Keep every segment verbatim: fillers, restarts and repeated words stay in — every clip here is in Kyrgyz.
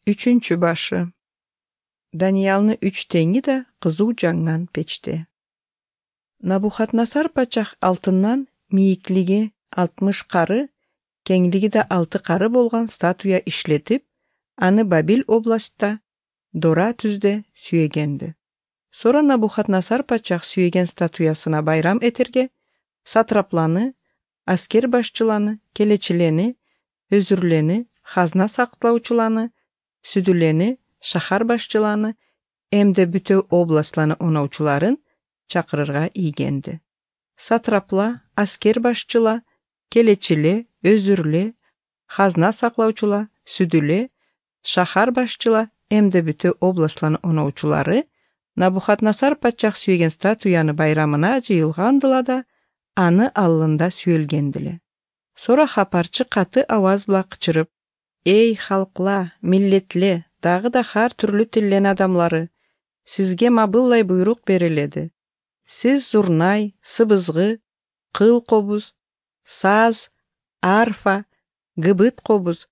Үчүнчү башы. Даниялны үч теңи да кызуу жаңган печте. Набухаднасар патшах алтыннан мийиклиги алтымыш кары, кеңлиги да алты кары болгон статуя иштетип, аны Бабил областта Дора түздө сүйөгенди. Сора Набухаднасар патшах сүйөген статуясына байрам этерге сатрапланы, аскер башчыланы, келечилени, өзүрлени, казна сактоочуланы, сүдүлени, шахар башчыланы, эмде бүтө областланы оноочуларын чакырырга ийгенди. Сатрапла, аскер башчыла, келечиле, өзүрле, казна саклоочула, сүдүле, шахар башчыла, эмде бүтө областланы оноочулары Набухаднасар патшах сүйөген статуяны байрамына жыйылгандыла да, аны аллында сүйөлгендиле. Сора хапарчы каты аваз бла кычырып: «Эй халкла, миллетле, дагы да хар түрлүү тилден адамлары, сизге мабыллай буйрук бериледи. Сиз зурнай, сыбызгы, кыл кобуз, саз, арфа, гыбыт кобуз,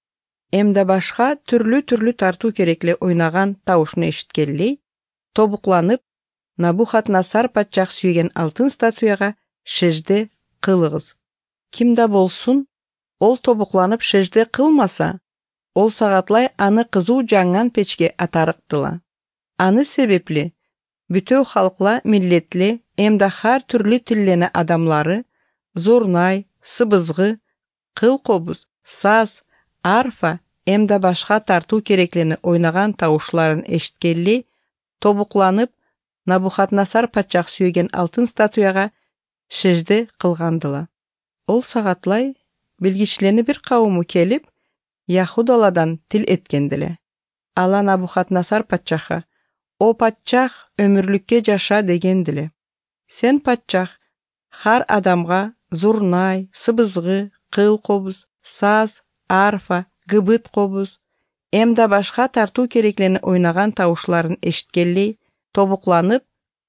эмде башка түрлүү-түрлүү тартуу керекле ойнаган табышны эшиткелей, тобукланып, Набухаднасар патшах сүйген алтын статуяга шежде кылыгыз. Кимде болсун, ол тобукланып шежде кылмаса, ол сагатлай аны кызуу жаңган печке атарыктыла. Аны себепли бүтөө халкла, миллетле, эмде хар түрлүү тилдени адамлары, зурнай, сыбызгы, кыл кобуз, саз, арфа, эмде башка тартуу кереклени ойнаган табышларын эшиткелей, тобукланып, Набухаднасар патшах сүйген алтын статуяга шежде кылгандыла. Ол сагатлай билгичилени бир кауыму келип, Яхудаладан тил эткендиле. Ала Набухаднасар патшаха: «О патшах, өмүрлүккө жаша» дегендиле. Сен патшах хар адамга зурнай, сыбызгы, кыл кобуз, саз, арфа, гыбыт кобуз, эмде башка тартуу кереклени ойнаган табышларын эшиткелей, тобукланып,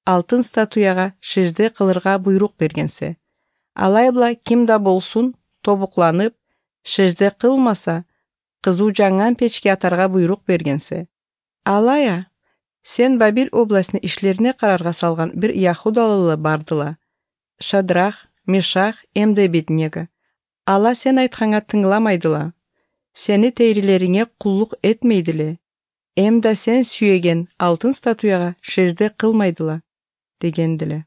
алтын статуяга шежде кылырга буйрук бергенсе, алайбла кимде болсун, тобукланып, шежде кылмаса, кызуу жаңган печке атарга буйрук бергенсе, алая сен Бабил областыны ишлерине карарга салган бир Яхудалылы бардыла, Шадрах, Мешах, эмде Абеднего. Ала сен айтканга тыңламайдыла, сени тейрилериңе куллук этмейдиле, эмде сен сүйөген алтын статуяга шежде кылмайдыла, дегендиле.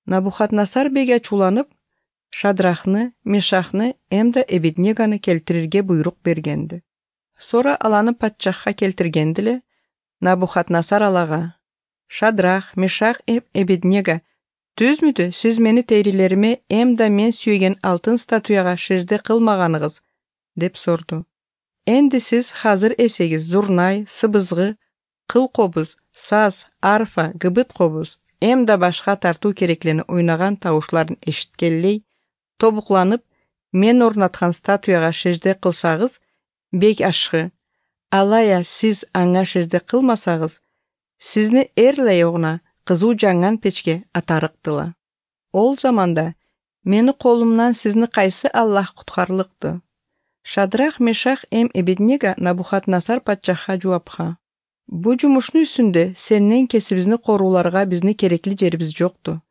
Набухаднасар беги ачууланып, Шадрахны, Мешахны, эмде Абеднегону келтирирге буйрук бергенди. Сора аланы патшахка келтиргендиле. Набухаднасар алага: «Шадрах, Мешах, эм Абеднего, түзмүдү сиз мени тейрилериме эмде мен сүйген алтын статуяга шежде кылмаганыгыз?» деп сорду. «Энди сиз азыр эсегиз зурнай, сыбызгы, кыл кобуз, саз, арфа, гыбыт кобуз, эмде башка тартуу кереклени ойнаган табышларын эшиткелей, тобукланып, мен орнаткан статуяга шежде кылсагыз, бек ашкы. Алая сиз аңа шежде кылмасагыз, сизни эрлейогуна кызуу жаңган печке атарыктыла. Ол заманда мени колумнан сизни кайсы Аллах куткарлыкты?» Шадрах, Мешах, эм Абеднего Набухаднасар патшахка жоопка: «Бу жумуштун үстүндө сенден кесибизни корууларга бизни керекли жерибиз жокту.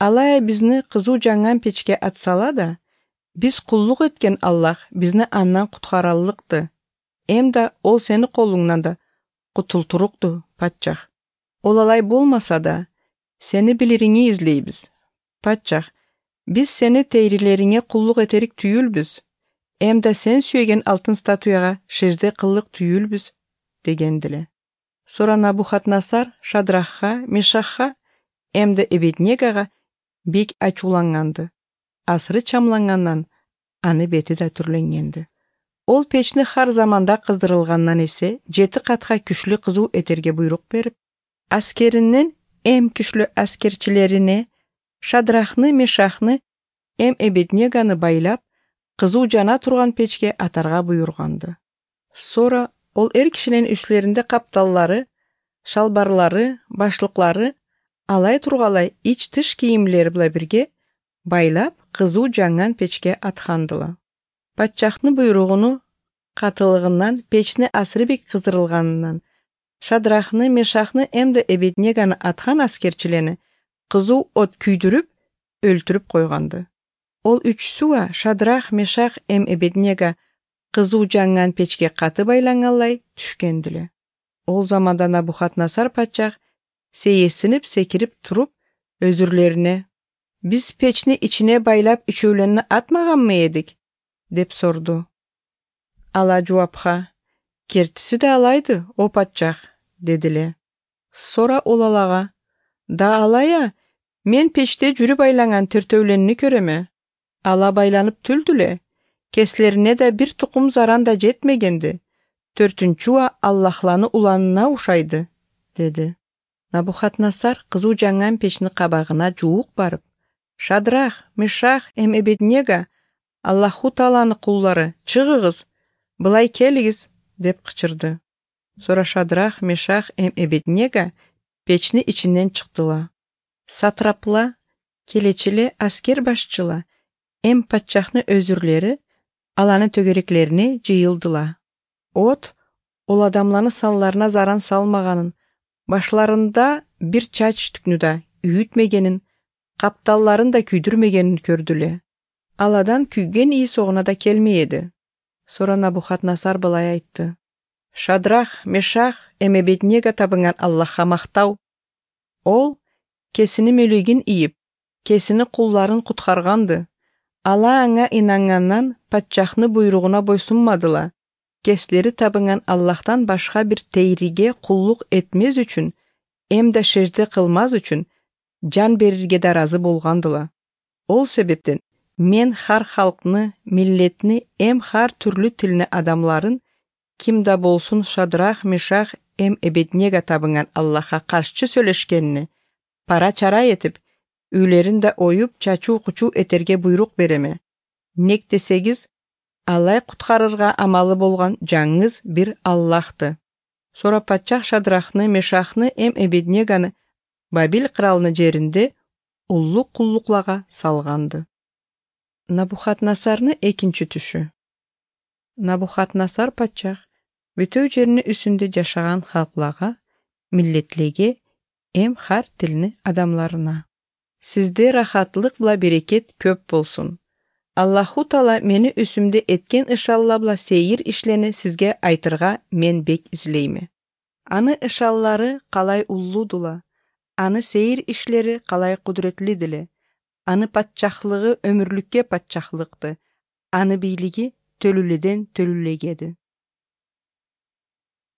Алая бизни кызуу жаңган печке атсала да, биз куллук эткен Аллах бизни андан куткаралыкты. Эмде ол сени колуңнан да кутултурукту, патшах. Ол алай болмаса да, сени билириңи излейбиз. Патшах, биз сени тейрилериңе куллук этерик түйүлбүз. Эмде сен сүйген алтын статуяга шежде кыллык түйүлбүз», дегендиле. Сора Набухаднасар Шадрахка, Мешахка, эмде Абеднегого бек ачууланганды. Асыры чамлангандан аны бети да түрленгенди. Ол печни хар заманда кыздырылгандан эсе жети катка күчлүү кызуу этерге буйрук берип, аскеринин эм күчлүү аскерчилерине Шадрахны, Мешахны, эм Абеднегону байлап, кызуу жана турган печке атарга буйруганды. Сора ол эр кишинин үстлеринде капталлары, шалбарлары, башлыклары, алай тургалай ич-тыш кийимлери биле бирге байлап, кызуу жаңган печке аткандыла. Патшахтын буйругуну катылыгынан печни асырбек кыздырылганынан Шадрахны, Мешахны эмде Эбеднеганы аткан аскерчилени кызуу от күйдүрүп өлтүрүп койгонду. Ол үч суа Шадрах, Мешах эм Эбеднега кызуу жанган печке каты байланганлай түшкөндүлө. Ол заманда Набухаднасар патшах сейесинип секирип туруп өзүрлерине: «Биз печни ичине байлап үчөөлөнү атмаганмы эдик?» деп сорду. Ала жоопка: «Кертиси да алайды, о патшах», дедиле. Сора ол алага: «Да алая, мен печте жүрү байланган төртөөлөнү көрөмө. Ала байланып түлдүле. Кеслерине да бир тукум заран да жетмегенди. Төртүнчүа Аллахланы уланына ушайды», деди. Набухаднасар кызуу жанган печни кабагына жуук барып: «Шадрах, Мешах эм Эбеднега, Аллаху Тааланы кулдары, чыгыгыз, былай келигиз», деп кычырды. Сора Шадрах, Мешах эм Эбеднега печни ичинен чыктыла. Сатрапла, келечиле, аскер башчыла, эм патшахны өзүрлери аланы төгөреклерине жыйылдыла. От ол адамланы санларына заран салмаганын, башларында бир чач түкнү да үйүтмегенин, капталларын да күйдүрмегенин көрдүле. Аладан күйген ии согуна да келмейеди. Сора Набухаднасар былай айтты: «Шадрах, Мешах эм Эбеднега табынган Аллахка мактау. Ол кесини мөлөгин ийип, кесини кулларын куткарганды. Ала аңа инангандан патшахны буйругуна бойсунмадыла. Кеслери табынган Аллахтан башка бир тейриге куллук этмез үчүн, эмде шежде кылмаз үчүн жан берирге да разы болгандыла. Ол себептен мен хар халкны, миллетни, эм хар түрлүү тилни адамларын ким да болсун Шадрах, Мешах эм Эбеднега табынган Аллахка каршы сүйлөшкенини пара чара этип, үйлерин да оюп чачуу-кучуу этерге буйрук береме. Нек десегиз, алай куткарырга амалы болгон жаңыз бир Аллахты». Сора патшах Шадрахны, Мешахны эм Эбеднеганы Бабил кралынын жеринде уллук куллуклага салганды. Набухаднасарны экинчи түшү. Набухаднасар патшах бүтөө жерини үстүндө жашаган халкларга, миллетлерге, эм хар тилни адамларына: «Сизде рахатлык бла берекет көп болсун. Аллаху Таала мени үсүмдө эткен ышалла бла сейир ишлени сизге айтырга мен бек излейми. Аны ышаллары калай уллуудула, аны сейир ишлери калай кудуретлидиле, аны патшахлыгы өмүрлүккө патшахлыкты, аны бийлиги төлүледен төлүлегеди.